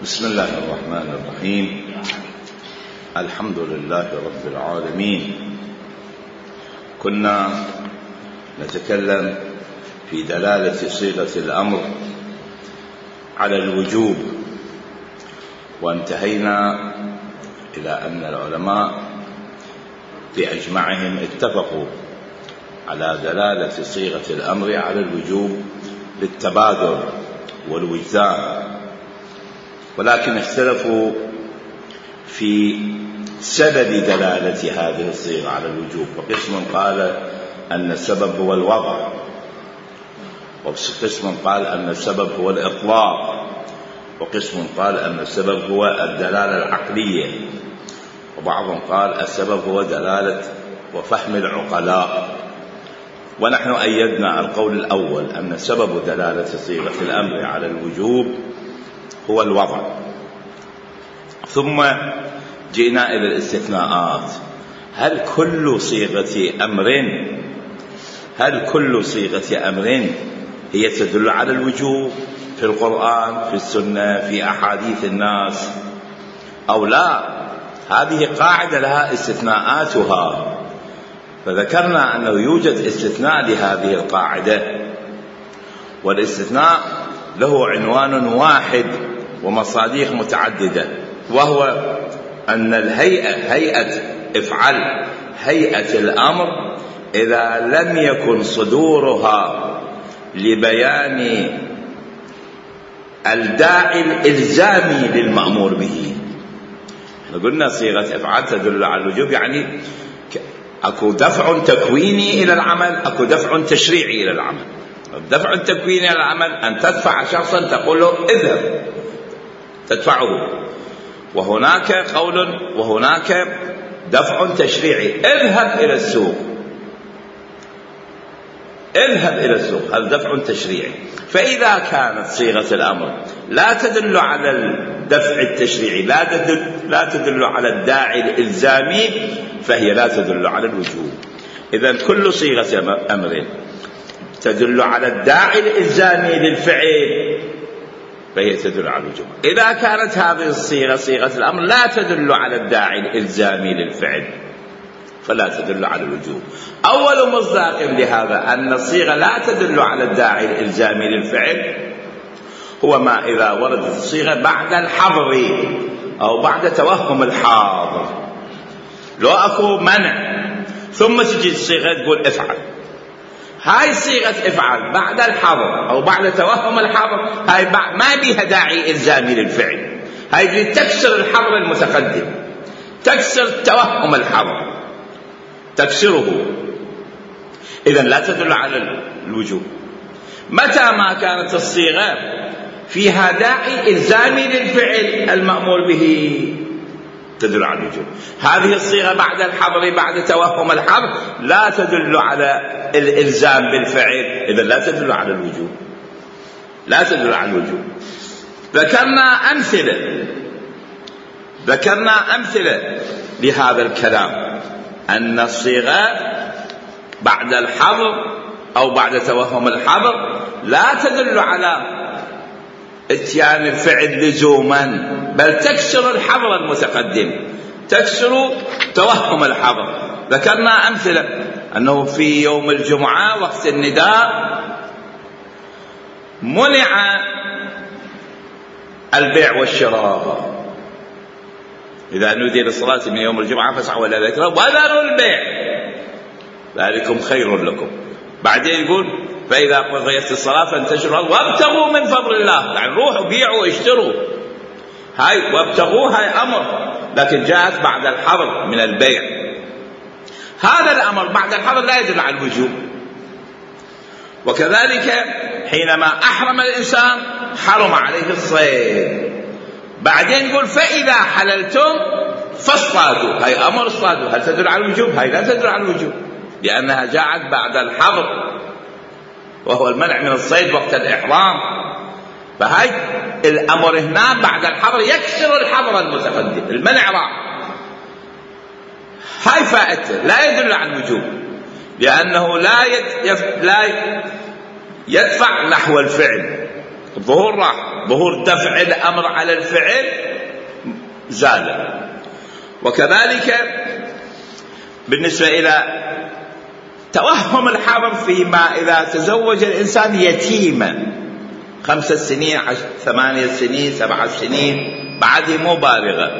بسم الله الرحمن الرحيم. الحمد لله رب العالمين. كنا نتكلم في دلالة صيغة الأمر على الوجوب، وانتهينا إلى أن العلماء بأجمعهم اتفقوا على دلالة صيغة الأمر على الوجوب للتبادر والوجدان، ولكن اختلفوا في سبب دلالة هذه الصيغة على الوجوب. وقسم قال أن السبب هو الوضع، وقسم قال أن السبب هو الإطلاق، وقسم قال أن السبب هو الدلالة العقلية، وبعضهم قال السبب هو دلالة وفهم العقلاء. ونحن أيدنا القول الأول أن سبب دلالة صيغة الأمر على الوجوب هو الوضع. ثم جئنا إلى الاستثناءات. هل كل صيغة أمر هي تدل على الوجوب في القرآن، في السنة، في أحاديث الناس، أو لا؟ هذه قاعدة لها استثناءاتها، فذكرنا أنه يوجد استثناء لهذه القاعدة، والاستثناء له عنوان واحد ومصاديق متعددة، وهو أن هيئة الأمر إذا لم يكن صدورها لبيان الداعي الإلزامي للمأمور به. قلنا صيغة افعل تدل على الوجوب، يعني أكو دفع تكويني إلى العمل، أكو دفع تشريعي إلى العمل. الدفع التكويني إلى العمل أن تدفع شخصا تقول له اذهب، تدفعه. وهناك دفع تشريعي، اذهب إلى السوق، هذا دفع تشريعي. فإذا كانت صيغة الأمر لا تدل على الدفع التشريعي، لا تدل على الداعي الإلزامي، فهي لا تدل على الوجوب. إذن كل صيغة أمر تدل على الداعي الإلزامي للفعل فهي تدل على الوجوب. إذا كانت هذه الصيغة صيغة الأمر لا تدل على الداعي الإلزامي للفعل فلا تدل على الوجوب. أول مصداق لهذا أن الصيغة لا تدل على الداعي الإلزامي للفعل هو ما إذا وردت الصيغة بعد الحظر أو بعد توهم الحاضر. لو أكو منع ثم تجي الصيغة تقول افعل، هاي صيغة افعل بعد الحظر أو بعد توهم الحظر، هاي ما بيها داعي إلزامي للفعل، هاي تكسر الحظر المتقدم، تكسر توهم الحظر، تكسره. إذن لا تدل على الوجوب. متى ما كانت الصيغة فيها داعي إلزامي للفعل المأمور به تدل على الوجوب. هذه الصيغة بعد الحظر بعد توهم الحظر لا تدل على الإلزام بالفعل، إذن لا تدل على الوجوب. ذكرنا أمثلة لهذا الكلام، أن الصيغة بعد الحظر أو بعد توهم الحظر لا تدل على اتيان الفعل لزوما، بل تكسر الحظر المتقدم، تكسر توهم الحظر. ذكرنا أمثلة أنه في يوم الجمعة وقت النداء منع البيع والشراء، إذا نودي للصلاة من يوم الجمعة فاسعوا إلى ذكر وذروا البيع ذلكم خير لكم. بعدين يقول فإذا قضيت الصلاة فانتشروا وابتغوا من فضل الله، يعني روحوا بيعوا واشتروا. هاي وابتغوا هاي أمر، لكن جاءت بعد الحظر من البيع. هذا الأمر بعد الحظر لا يدل على الوجوب. وكذلك حينما أحرم الإنسان حرم عليه الصيد، بعدين يقول فإذا حللتم فاصطادوا، هاي أمر اصطادوا، هل تدل على الوجوب؟ هاي لا تدل على الوجوب، لأنها جاءت بعد الحظر وهو المنع من الصيد وقت الإحرام. فهاي الأمر هنا بعد الحظر يكسر الحظر المتقدم، المنع راح. هاي فائدته، لا يدل على الوجوب، لأنه لا يدفع نحو الفعل، الظهور راح. ظهور دفع الأمر على الفعل زال. وكذلك بالنسبة إلى توهم الحرم فيما إذا تزوج الإنسان يتيما 5 سنين 8 سنين 7 سنين بعد مو بالغة،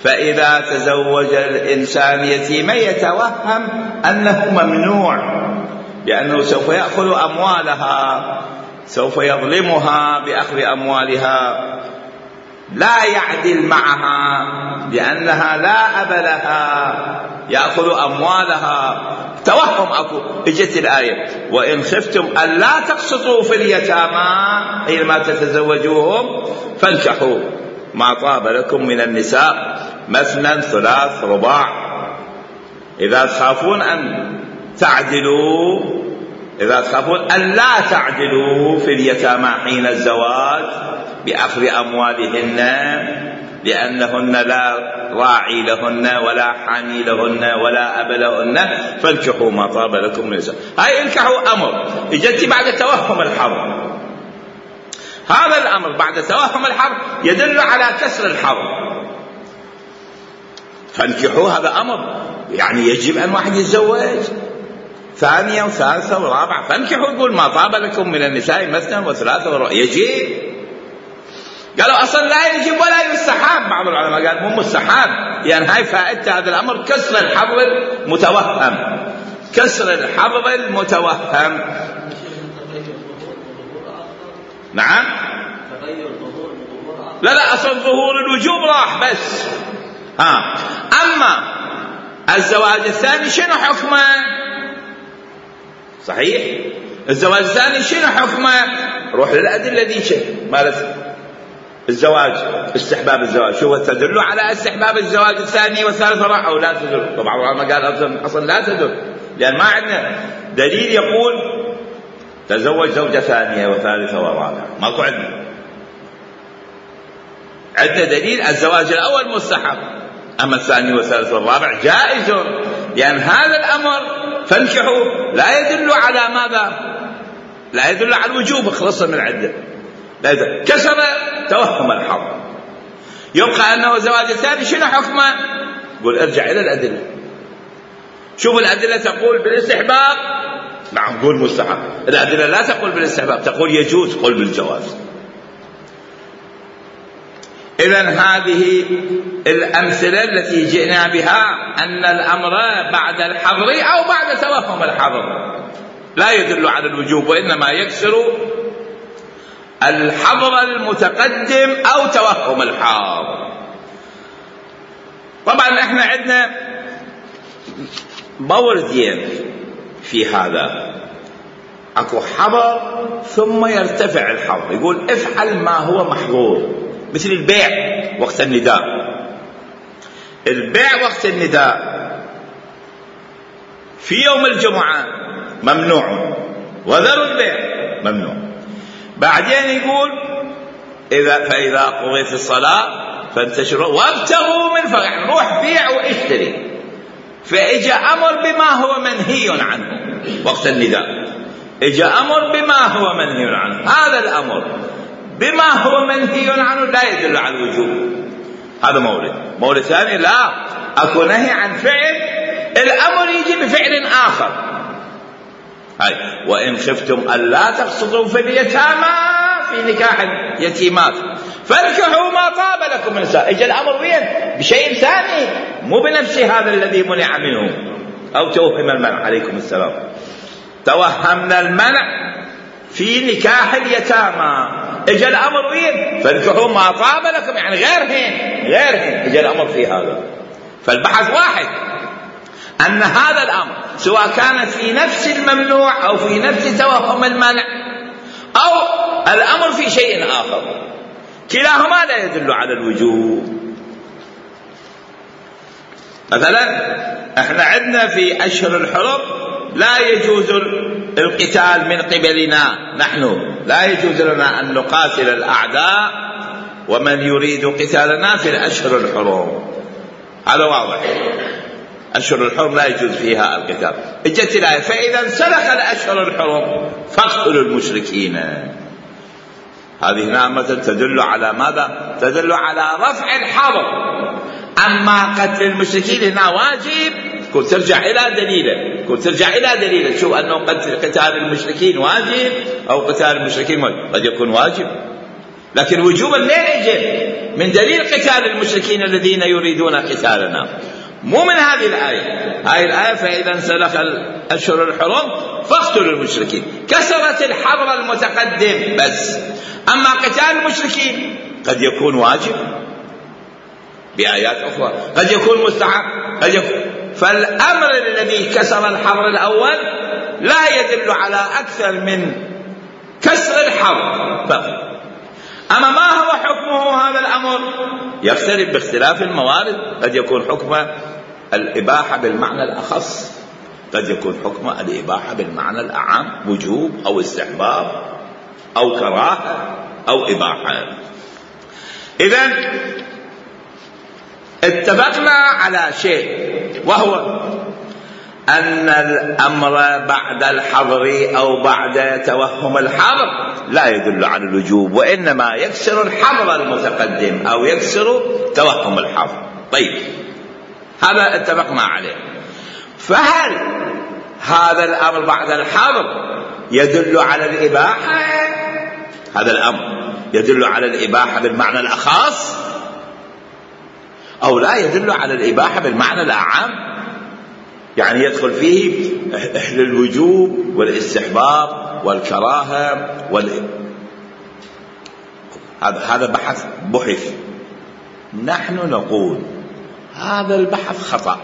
فإذا تزوج الإنسان يتيما يتوهم أنه ممنوع، لأنه سوف يأخذ أموالها، سوف يظلمها بأخذ أموالها، لا يعدل معها لأنها لا أب لها، يأخذ أموالها. توهم أكو. اجت الآية وإن خفتم ألا تقسطوا في اليتامى حينما تتزوجوهم فانكحوا ما طاب لكم من النساء مثنى ثلاث رباع. إذا تخافون أن تعدلوا، إذا تخافون ألا تعدلوا في اليتامى حين الزواج بأخذ أموالهن لأنهن لا راعي لهن ولا حامي لهن ولا أب لهن فانكحوا ما طاب لكم من النساء. هاي انكحوا أمر اجت بعد توهم الحرب. هذا الأمر بعد توهم الحرب يدل على كسر الحرب. فانكحوا هذا أمر، يعني يجب أن واحد يتزوج ثانية وثالثة ورابعة. فانكحوا يقول ما طاب لكم من النساء مثنى وثلاثة ورابعة. يجب. قالوا أصلا لا يجب ولا يستحب. بعض العلماء قال مو مستحب، يعني هاي فائدة هذا الأمر كسر الحظ المتوهم. كسر الحظ المتوهم. نعم. لا أصلا ظهور الوجوب راح بس. أما الزواج الثاني شنو حكمه؟ صحيح الزواج الثاني شنو حكمه؟ روح للأدلة ذي شيء مالت الزواج، استحباب الزواج. شو تدل على استحباب الزواج الثاني والثالث والرابع أو لا تدل؟ طبعا العلماء قال أصلا لا تدل، لأن ما عندنا دليل يقول تزوج زوجة ثانية وثالثة ورابعة، ماكو عندنا. عندنا دليل الزواج الأول مستحب، أما الثاني والثالث والرابع جائز، لأن هذا الأمر فانكحوا لا يدل على ماذا؟ لا يدل على الوجوب، خلصنا من عدة. كسر توهم الحظ. يبقى أنه الزواج الثاني شنو حكمه؟ قل ارجع إلى الأدلة، شوف الأدلة تقول بالاستحباب، نعم قول مستحب. الأدلة لا تقول بالاستحباب، تقول يجوز، قل بالجواز. إذن هذه الأمثلة التي جئنا بها أن الأمر بعد الحظر أو بعد توهم الحظر لا يدل على الوجوب، وإنما يكسر الحظر المتقدم أو توهم الحاضر. طبعا احنا عندنا موردين في هذا، اكو حظر ثم يرتفع الحظر، يقول افعل ما هو محظور، مثل البيع وقت النداء. البيع وقت النداء في يوم الجمعة ممنوع، وذروا البيع ممنوع. بعدين يقول فإذا قضيت الصلاة فانتشروا وابتغوا من فضل، يعني روح بيع واشتري. فإجا أمر بما هو منهي عنه وقت النداء، إجا أمر بما هو منهي عنه. هذا الأمر بما هو منهي عنه لا يدل على الوجوب. هذا مورد ثاني، لا أكو نهي عن فعل، الأمر يجي بفعل آخر. هاي وإن خفتم ألا تقسطوا في اليتامى في نكاح اليتيمات فانكحوا ما طاب لكم من النساء. اجى الأمر وين؟ بشيء ثاني، مو بنفس هذا الذي منع منه أو توهم المنع. عليكم السلام. توهمنا المنع في نكاح اليتامى، اجى الأمر وين؟ فانكحوا ما طاب لكم، يعني غيرهن اجى الأمر في هذا. فالبحث واحد، أن هذا الأمر سواء كان في نفس الممنوع أو في نفس توهم المنع أو الأمر في شيء آخر، كلاهما لا يدل على الوجوب. مثلا احنا عندنا في أشهر الحرم لا يجوز القتال من قبلنا، نحن لا يجوز لنا أن نقاتل الأعداء ومن يريد قتالنا في الأشهر الحرم. هذا واضح، أشهر الحرم لا يجوز فيها القتال. اجت الآية فإذا انسلخ الأشهر الحرم فاقتلوا المشركين. هذه هنا مثلا تدل على ماذا؟ تدل على رفع الحظر. أما قتل المشركين هنا واجب، كنت ترجع إلى دليله، شوف أنه قتال المشركين واجب أو قتال المشركين واجب. قد يكون واجب، لكن وجوبا لا يجب من دليل قتال المشركين الذين يريدون قتالنا، مو من هذه الآية. هذه الآية فإذا انسلخ الأشهر الحرم فاقتلوا المشركين، كسرت الحظر المتقدم بس. أما قتال المشركين قد يكون واجب بآيات أخرى، قد يكون مستحب، قد يكون. فالأمر الذي كسر الحظر الأول لا يدل على أكثر من كسر الحظر فقط. أما ما هو حكمه هذا الأمر؟ يختلف باختلاف الموارد. قد يكون حكم الإباحة بالمعنى الأخص، قد يكون حكم الإباحة بالمعنى الأعم، وجوب أو استحباب أو كراهة أو إباحة. إذن اتفقنا على شيء، وهو أن الأمر بعد الحظر أو بعد توهم الحظر لا يدل على الوجوب، وإنما يكسر الحظر المتقدم أو يكسر توهم الحظر. طيب، هذا اتفقنا عليه. فهل هذا الأمر بعد الحظر يدل على الإباحة؟ هذا الأمر يدل على الإباحة بالمعنى الأخص أو لا يدل على الإباحة بالمعنى الأعم؟ يعني يدخل فيه الوجوب والاستحباب والكراهة هذا بحث. نحن نقول هذا البحث خطأ،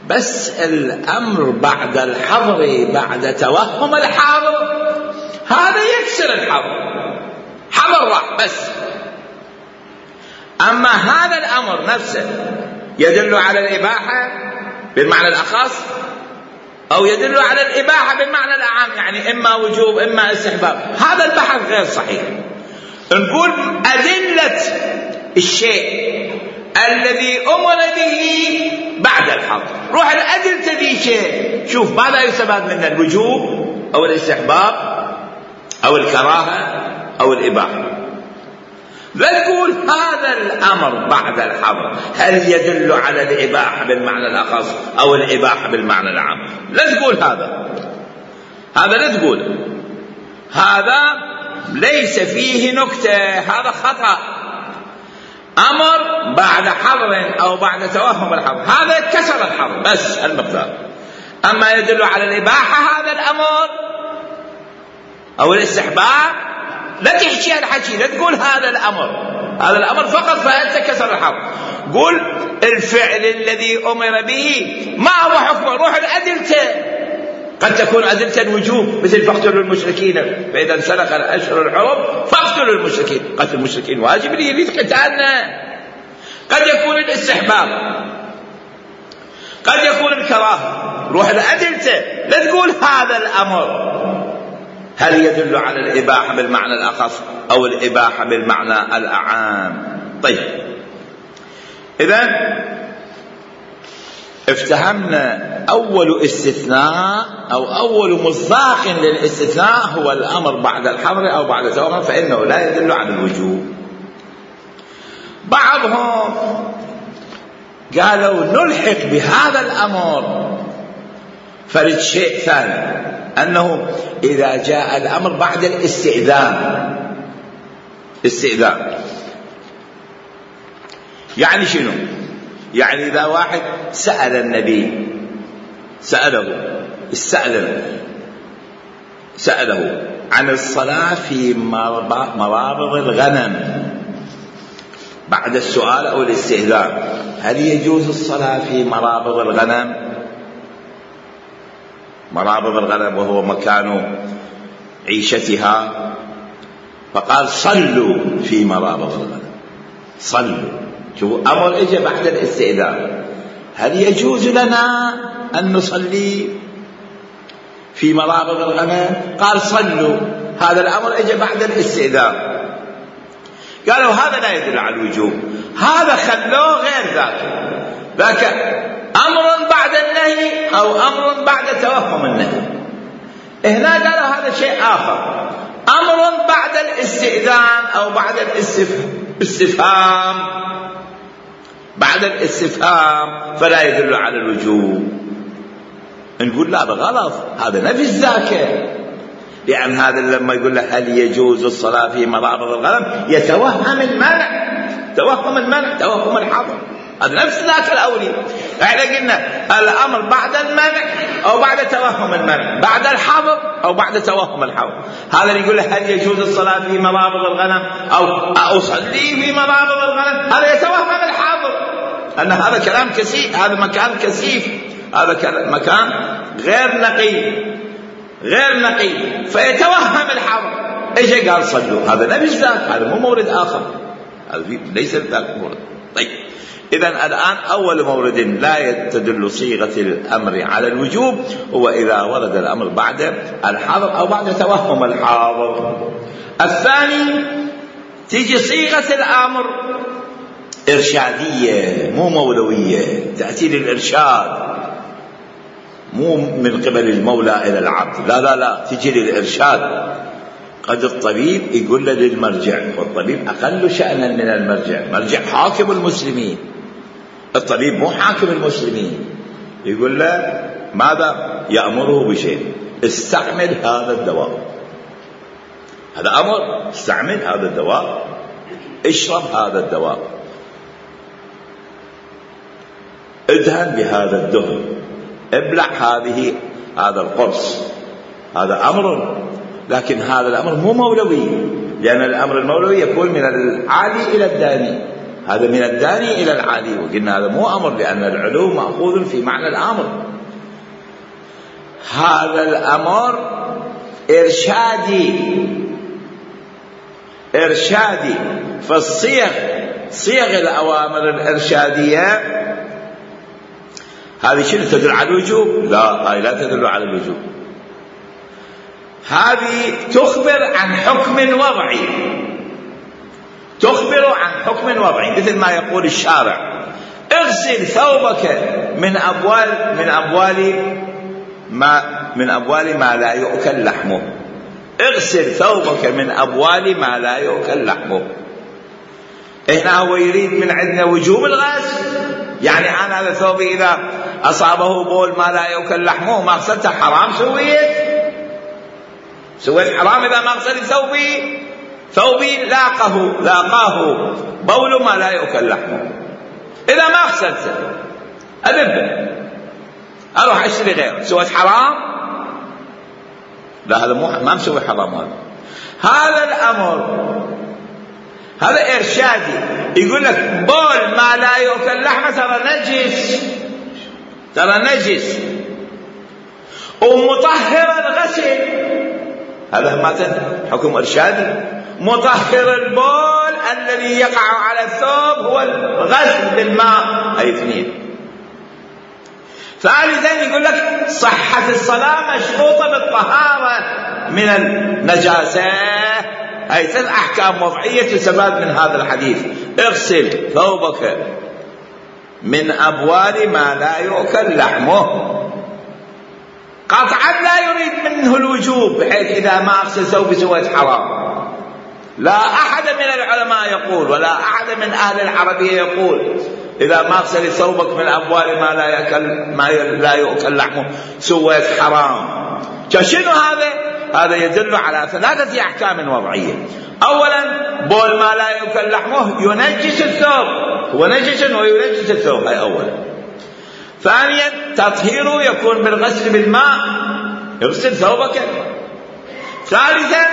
بس الأمر بعد الحظر بعد توهم الحظر هذا يكسر الحظر، حظر راح بس. أما هذا الأمر نفسه يدل على الإباحة بالمعنى الأخص أو يدل على الإباحة بالمعنى الأعم، يعني إما وجوب إما استحباب. هذا البحث غير صحيح. نقول أدلة الشيء الذي أمر به بعد الحظر، روح الأدلة ذي شيء، شوف ماذا يستفاد منه، الوجوب أو الاستحباب أو الكراهة أو الإباحة. لا تقول هذا الأمر بعد الحظر هل يدل على الإباحة بالمعنى الأخص أو الإباحة بالمعنى العام. لا تقول هذا لا تقول، هذا ليس فيه نكتة، هذا خطأ. أمر بعد حظر أو بعد توهم الحظر هذا كسر الحظر بس المقدار. أما يدل على الإباحة هذا الأمر أو الاستحباب لا تحكي الحكي، لا تقول هذا الأمر فقط فأنت كسر الحظر. قل الفعل الذي أمر به ما هو حكمه، روح الأدلة. قد تكون أدلة الوجوب مثل فاقتلوا المشركين، فإذا انسلخ الأشهر الحرم فاقتلوا المشركين. قتل المشركين واجب يريد قتالنا. قد يكون الاستحباب، قد يكون الكراهة. روح الأدلة، لا تقول هذا الأمر هل يدل على الإباحة بالمعنى الأخص أو الإباحة بالمعنى الأعام. طيب، إذن افتهمنا أول استثناء أو أول مصداق للاستثناء هو الأمر بعد الحظر أو بعد توهم، فإنه لا يدل على الوجوب. بعضهم قالوا نلحق بهذا الأمر فرد شيء ثاني، أنه إذا جاء الأمر بعد الاستئذان. يعني شنو؟ يعني إذا واحد سأل النبي، سأله عن الصلاة في مرابض الغنم بعد السؤال أو الاستئذان، هل يجوز الصلاة في مرابض الغنم؟ مرابض الغنم وهو مكان عيشتها، فقال صلوا في مرابض الغنم. صلوا، شوفوا أمر إجا بعد الاستئذان، هل يجوز لنا أن نصلي في مرابض الغنم؟ قال صلوا، هذا الأمر إجا بعد الاستئذان. قالوا هذا لا يدل على الوجوب، هذا خلوه غير ذاك أمر بعد النهي أو أمر بعد توهم النهي. هنا قالوا هذا شيء آخر، أمر بعد الاستئذان أو بعد الاستفهام، بعد الاستفهام فلا يدل على الوجوب. نقول لا، غلط، هذا نفي الزكاة، لأن هذا لما يقول له هل يجوز الصلاة في مضارب الغنم يتوهم المنع، توهم الحظر، هذا نفس ذاك الأولي. احنا قلنا الأمر بعد المنع أو بعد توهم المنع، بعد الحظر أو بعد توهم الحظر. هذا اللي يقول له هل يجوز الصلاة في مضارب الغنم أو أصلي في مضارب الغنم، هذا يتوهم الحظر، أن هذا كلام كثيف، هذا مكان كثيف، هذا مكان غير نقي فيتوهم الحظر. ايش قال صلوا؟ هذا نفي ذاك، هذا مو مورد آخر، هذا ليس ذاك مورد. طيب، إذن الآن أول مورد لا تدل صيغة الأمر على الوجوب هو إذا ورد الأمر بعد الحظر أو بعد توهم الحاضر. الثاني تيجي صيغة الأمر إرشادية مو مولوية، تأتي للإرشاد مو من قبل المولى إلى العبد، لا تجي للإرشاد. قد الطبيب يقول له للمرجع، والطبيب أقل شأنا من المرجع، مرجع حاكم المسلمين، الطبيب مو حاكم المسلمين، يقول له ماذا؟ يأمره بشيء، استعمل هذا الدواء، هذا أمر، استعمل هذا الدواء، اشرب هذا الدواء، ادهن بهذا الدهن، ابلع هذا القرص، هذا أمر. لكن هذا الأمر مو مولوي، لأن الأمر المولوي يكون من العالي إلى الداني، هذا من الداني إلى العالي، وقلنا هذا مو أمر، لأن العلو مأخوذ في معنى الأمر. هذا الأمر إرشادي. فالصيغ الأوامر الإرشادية هذه شنو تدل على الوجوب؟ لا، لا تدل على الوجوب، هذه تخبر عن حكم وضعي، مثل ما يقول الشارع اغسل ثوبك من أبوال ما لا يؤكل لحمه، اغسل ثوبك من أبوال ما لا يؤكل لحمه. هنا هو يريد من عندنا وجوب الغسل، يعني أنا هذا ثوبي إذا أصابه بول ما لا يؤكل لحمه ما غسلته حرام، سويت حرام إذا ما غسلت ثوبي لاقاه بول ما لا يؤكل لحمه، إذا ما غسلته أذبه أروح أشتري غيره، سويت حرام؟ لا، هذا ما مسوي حرام، هذا الأمر هذا إرشادي. يقول لك بول ما لا يؤكل لحمه ترى نجس ومطهر الغسل، هذا ما حكم إرشادي. مطهر البول الذي يقع على الثوب هو الغسل بالماء، أي اثنين. ثالثا يقول لك صحة الصلاة مشروطة بالطهارة من النجاسة، أي 3 أحكام وضعية تستفاد من هذا الحديث. اغسل ثوبك من أبوال ما لا يؤكل لحمه، قطعا لا يريد منه الوجوب، بحيث إذا ما أغسل ثوبي سويت حرام. لا أحد من العلماء يقول ولا أحد من أهل العربية يقول إذا ما أغسل ثوبك من أبوال ما لا يؤكل لحمه سويت حرام. شنو هذا يدل على 3 أحكام وضعية. أولا بول ما لا يؤكل لحمه ينجس الثوب، هو نجس وينجس الثوب، هاي أولا. ثانيا تطهيره يكون بالغسل بالماء، يغسل ثوبك. ثالثا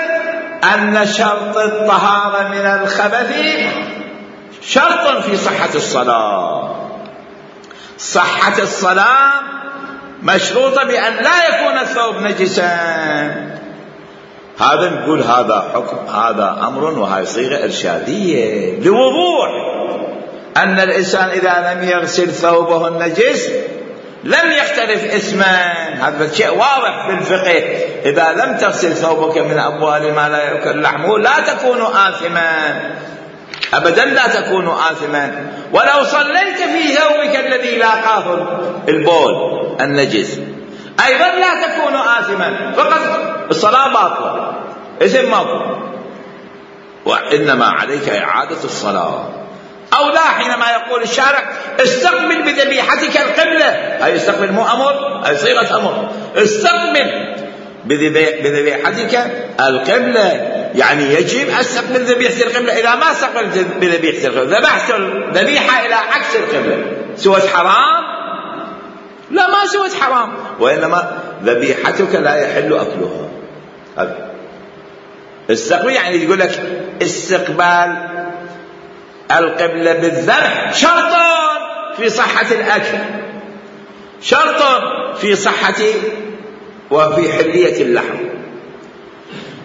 أن شرط الطهارة من الخبث شرط في صحة الصلاة، صحة الصلاة مشروطة بأن لا يكون الثوب نجسا. هذا نقول هذا حكم، هذا أمر، وهي صيغة إرشادية لوضوح أن الإنسان إذا لم يغسل ثوبه النجس لم يختلف اسمان. هذا شيء واضح بالفقه، إذا لم تغسل ثوبك من أبوال ما لا يؤكل لحمه لا تكون آثما، أبدا لا تكون آثما. ولو صليت في ثوبك الذي لاقاه البول النجس أيضا لا تكون آثما، فقط الصلاة باطلة. إذن ماكو، وإنما عليك إعادة الصلاة. أو لا، حينما يقول الشارع استقبل بذبيحتك القبلة، أي استقبل، مو أمر، أي صيغة أمر، استقبل بذبيحتك القبلة، يعني يجب استقبل ذبيحة القبلة. إذا ما استقبلت بذبيحة القبلة، ذبحت الذبيحة إلى عكس القبلة، سوت حرام؟ لا، ما سوت حرام، وإنما ذبيحتك لا يحل أكلها. استقبل يعني يقول لك استقبال القبلة بالذبح شرط في صحة الأكل، شرط في صحة وفي حلية اللحم.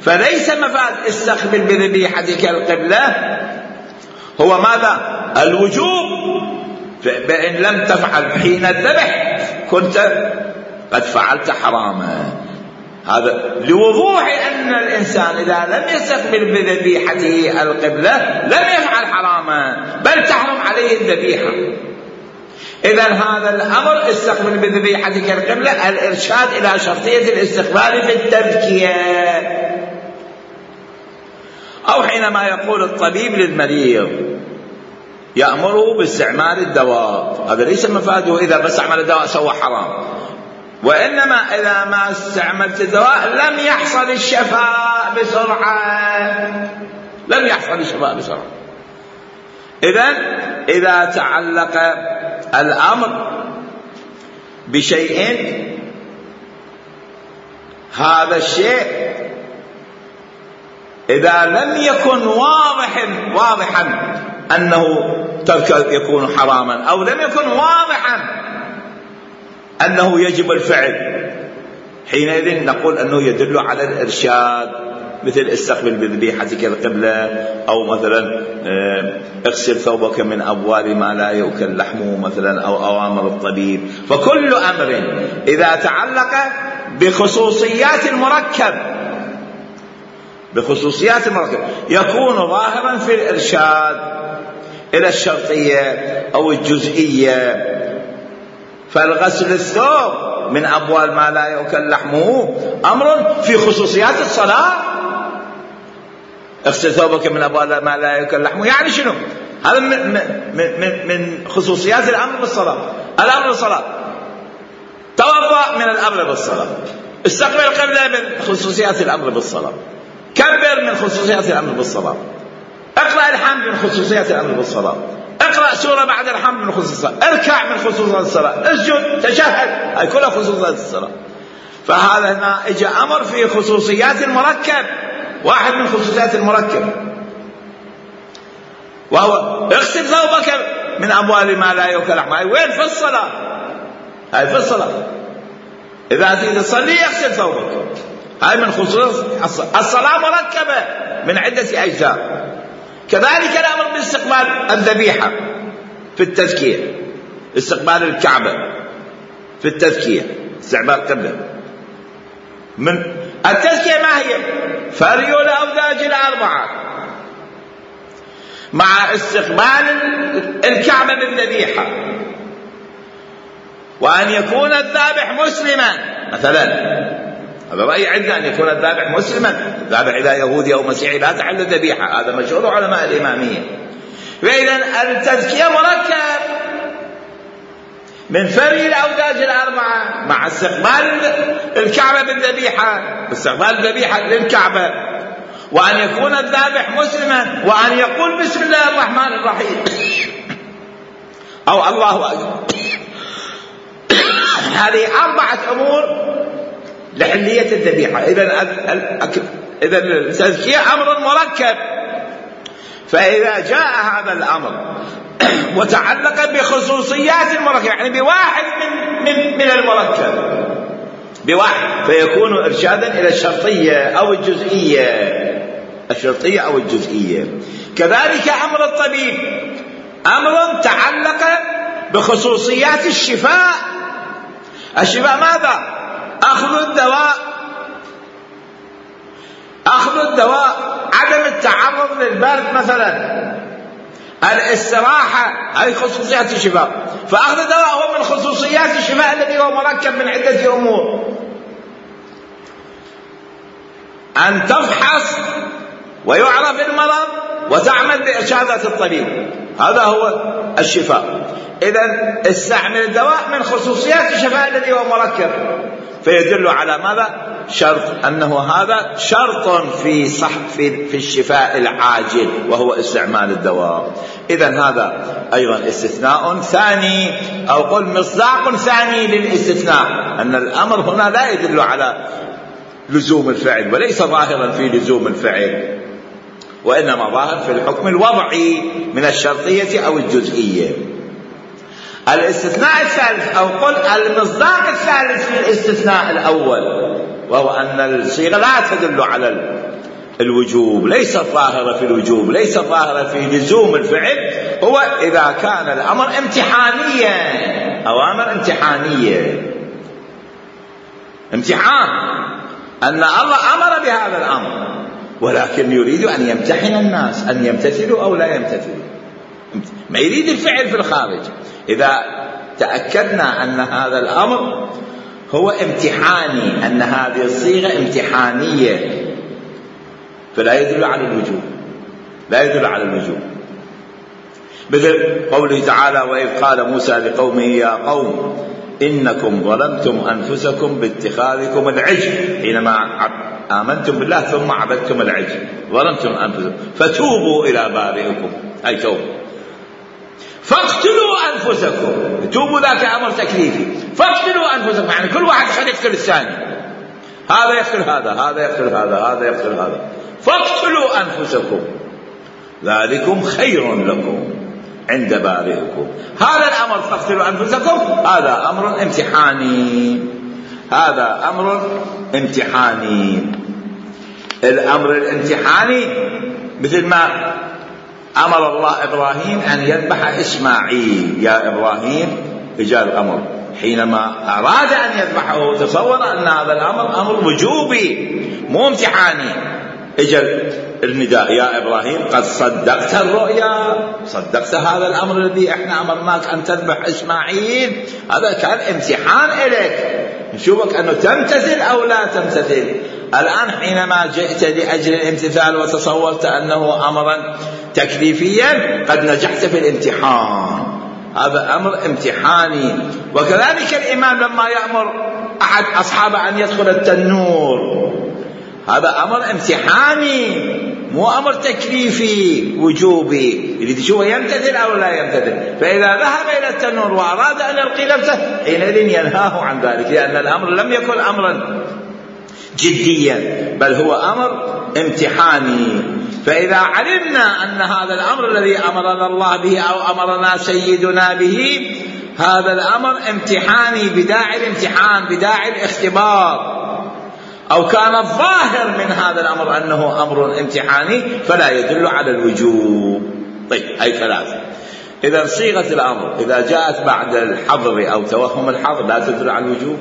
فليس مفاد استقبل بذبيحتك القبلة هو ماذا؟ الوجوب، فإن لم تفعل حين الذبح كنت قد فعلت حراما. هذا لوضوح أن الإنسان إذا لم يستقبل بذبيحته القبلة لم يفعل حراما، بل تحرم عليه الذبيحة. إذا هذا الأمر استقبل بذبيحتك القبلة الإرشاد إلى شرطية الاستقبال في التذكية. أو حينما يقول الطبيب للمريض يأمره باستعمال الدواء، هذا ليس مفاده إذا بس استعمل الدواء سوى حرام، وإنما إذا ما استعملت الدواء لم يحصل الشفاء بسرعة، لم يحصل الشفاء بسرعة. إذا تعلق الأمر بشيء هذا الشيء إذا لم يكن واضحا أنه ترك يكون حراما، أو لم يكن واضحا أنه يجب الفعل، حينئذ نقول أنه يدل على الإرشاد، مثل استقبل بذبيحتك القبلة، أو مثلا اغسل ثوبك من أبوال ما لا يؤكل لحمه مثلا، أو أوامر الطبيب. فكل أمر إذا تعلق بخصوصيات المركب يكون ظاهرا في الإرشاد إلى الشرطية أو الجزئية. فالغسل الثوب من أبوال ما لا يؤكل لحمه أمر في خصوصيات الصلاة. اغسل ثوبك من أبوال ما لا يؤكل لحمه يعني شنو؟ هذا من خصوصيات الأمر بالصلاة. الأمر بالصلاة، توضأ من الأمر بالصلاة، استقبل القبلة من خصوصيات الأمر بالصلاة، كبر من خصوصيات الأمر بالصلاة، اقرأ الحمد من خصوصيات الأمر بالصلاة، اقرأ سورة بعد الحمد من خصوصيات الصلاة، اركع من خصوصيات الصلاة، اسجد، تشهد، هاي كلها خصوصيات الصلاة. فهذا هنا اجى أمر في خصوصيات المركب، واحد من خصوصيات المركب وهو اغسل ثوبك من أبوال ما لا يؤكل لحمه. هاي وين؟ في الصلاة، هاي في الصلاة. إذا تريد تصلي اغسل ثوبك، هاي من خصوص الصلاة، مركبة من عدة أجزاء. كذلك الأمر باستقبال الذبيحة في التزكية، استقبال الكعبة في التزكية، استقبال القبلة. من التزكية ما هي؟ فري الأوداج الأربعة مع استقبال الكعبة بالذبيحة، وأن يكون الذابح مسلما مثلا. هذا رأي عندنا، أن يكون الذابح مسلما، ذابح إلى يهودي أو مسيحي لا تحل الذبيحة، هذا مشهور علماء الإمامية. فإذا التزكية مركب من فري الأوداج الأربعة مع استقبال الكعبة بالذبيحة، استقبال الذبيحة للكعبة، وأن يكون الذابح مسلما، وأن يقول بسم الله الرحمن الرحيم أو الله أكبر. هذه 4 أمور لحلية الذبيحة. إذا التزكية أمر مركب. فإذا جاء هذا الأمر وتعلق بخصوصيات المركب، يعني بواحد من المركب، بواحد، فيكون إرشادا إلى الشرطية أو الجزئية، الشرطية أو الجزئية. كذلك أمر الطبيب أمر تعلق بخصوصيات الشفاء. الشفاء ماذا؟ أخذ الدواء، عدم التعرض للبرد مثلا، الاستراحة، هذه خصوصيات الشفاء. فأخذ الدواء هو من خصوصيات الشفاء الذي هو مركب من عدة أمور. أن تفحص ويعرف المرض وتعمل بإرشادات الطبيب، هذا هو الشفاء. إذن استعمل الدواء من خصوصيات الشفاء الذي هو مركب، فيدل على ماذا؟ شرط، أنه هذا شرط في الشفاء العاجل وهو استعمال الدواء. إذن هذا أيضا استثناء ثاني، أو قل مصداق ثاني للاستثناء، أن الأمر هنا لا يدل على لزوم الفعل وليس ظاهرا في لزوم الفعل، وإنما ظاهر في الحكم الوضعي من الشرطية أو الجزئية. الاستثناء الثالث، أو قل المصداق الثالث في الاستثناء الأول، وهو أن الصيغة لا تدل على الوجوب، ليست ظاهرة في الوجوب، ليست ظاهرة في لزوم الفعل، هو إذا كان الأمر امتحانيا، أوامر امتحانية، امتحان، أن الله أمر بهذا الأمر ولكن يريد أن يمتحن الناس أن يمتثلوا أو لا يمتثلوا، ما يريد الفعل في الخارج. إذا تأكدنا أن هذا الأمر هو امتحاني، أن هذه الصيغة امتحانية، فلا يدل على الوجوب، لا يدل على الوجوب. مثل قوله تعالى: وإذ قال موسى لقومه يا قوم إنكم ظلمتم أنفسكم باتخاذكم العجل، حينما آمنتم بالله ثم عبدتم العجل، ظلمتم أنفسكم فتوبوا إلى بارئكم، أي توبوا، فاقتلوا أنفسكم، توبوا ذاك أمر تكليفي، فاقتلوا أنفسكم، يعني كل واحد خلي يقتل الثاني، هذا يقتل هذا، هذا يقتل هذا، هذا يقتل هذا، فاقتلوا أنفسكم ذلكم خير لكم عند بارئكم. هذا الأمر فاقتلوا أنفسكم هذا أمر امتحاني، هذا أمر امتحاني. الأمر الامتحاني مثل ما أمر الله إبراهيم أن يذبح إسماعيل، يا إبراهيم إجا الأمر، حينما أراد أن يذبحه تصور أن هذا الأمر أمر وجوبي مو امتحاني، إجا النداء يا إبراهيم قد صدقت الرؤيا، صدقت هذا الأمر الذي إحنا أمرناك أن تذبح إسماعيل، هذا كان امتحان إليك، نشوفك أنه تمتثل أو لا تمتثل. الآن حينما جئت لأجل الامتثال وتصورت أنه أمرا تكليفيا قد نجحت في الامتحان، هذا أمر امتحاني. وكذلك الإمام لما يأمر أحد أصحابه أن يدخل التنور، هذا أمر امتحاني مو أمر تكليفي وجوبي، اللي تشوفه يمتثل أو لا يمتثل. فإذا ذهب إلى التنور وأراد أن يلقي نفسه حينئذ ينهاه عن ذلك، لأن الأمر لم يكن أمرا جديا بل هو أمر امتحاني. فإذا علمنا أن هذا الأمر الذي أمرنا الله به أو أمرنا سيدنا به هذا الأمر امتحاني بداعي الامتحان، بداعي الاختبار، أو كان الظاهر من هذا الأمر أنه أمر امتحاني فلا يدل على الوجوب. طيب، هاي ثلاثة. إذا صيغة الأمر إذا جاءت بعد الحظر أو توهم الحظر لا تدل على الوجوب.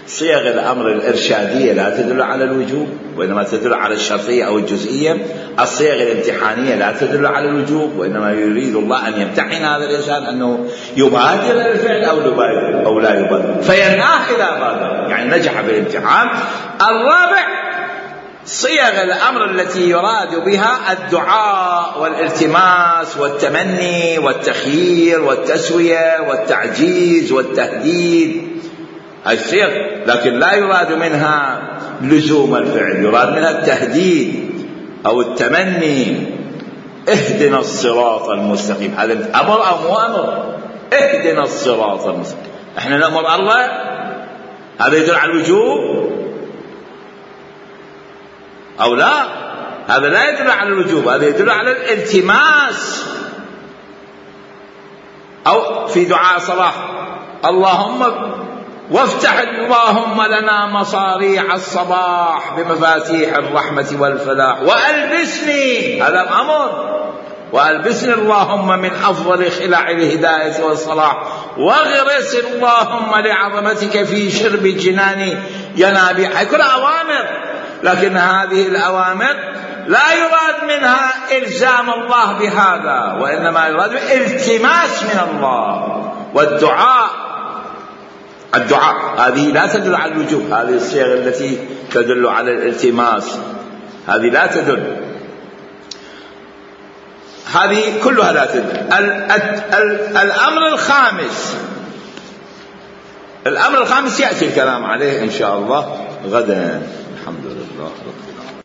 صيغ الأمر الإرشادية لا تدل على الوجوب وإنما تدل على الشرطية أو الجزئية. الصيغ الامتحانية لا تدل على الوجوب وإنما يريد الله أن يمتحن هذا الإنسان أنه يبادر الفعل أو لا يبادر، فينهاه إذا بادر، يعني نجح في الامتحان. الرابع صيغ الأمر التي يراد بها الدعاء والالتماس والتمني والتخيير والتسوية والتعجيز والتهديد، هاي الصيغ، لكن لا يراد منها لزوم الفعل، يراد منها التهديد أو التمني. اهدنا الصراط المستقيم، هذا أمر أو مو أمر؟ اهدنا الصراط المستقيم، احنا نأمر الله، هذا يدل على الوجوب أو لا؟ هذا لا يدل على الوجوب، هذا يدل على الالتماس. أو في دعاء صلاح اللهم وافتح اللهم لنا مصاريع الصباح بمفاتيح الرحمة والفلاح وألبسني، هذا الأمر، وألبسني اللهم من أفضل خلع الهداية والصلاح واغرس اللهم لعظمتك في شرب الجنان ينابيع، كلها أوامر، لكن هذه الأوامر لا يراد منها إلزام الله بهذا وإنما يراد التماس من الله والدعاء. الدعاء هذه لا تدل على الوجوب، هذه الصيغ التي تدل على الالتماس هذه لا تدل، هذه كلها لا تدل. الأمر الخامس يأتي الكلام عليه إن شاء الله غدا. الحمد لله رب العالمين.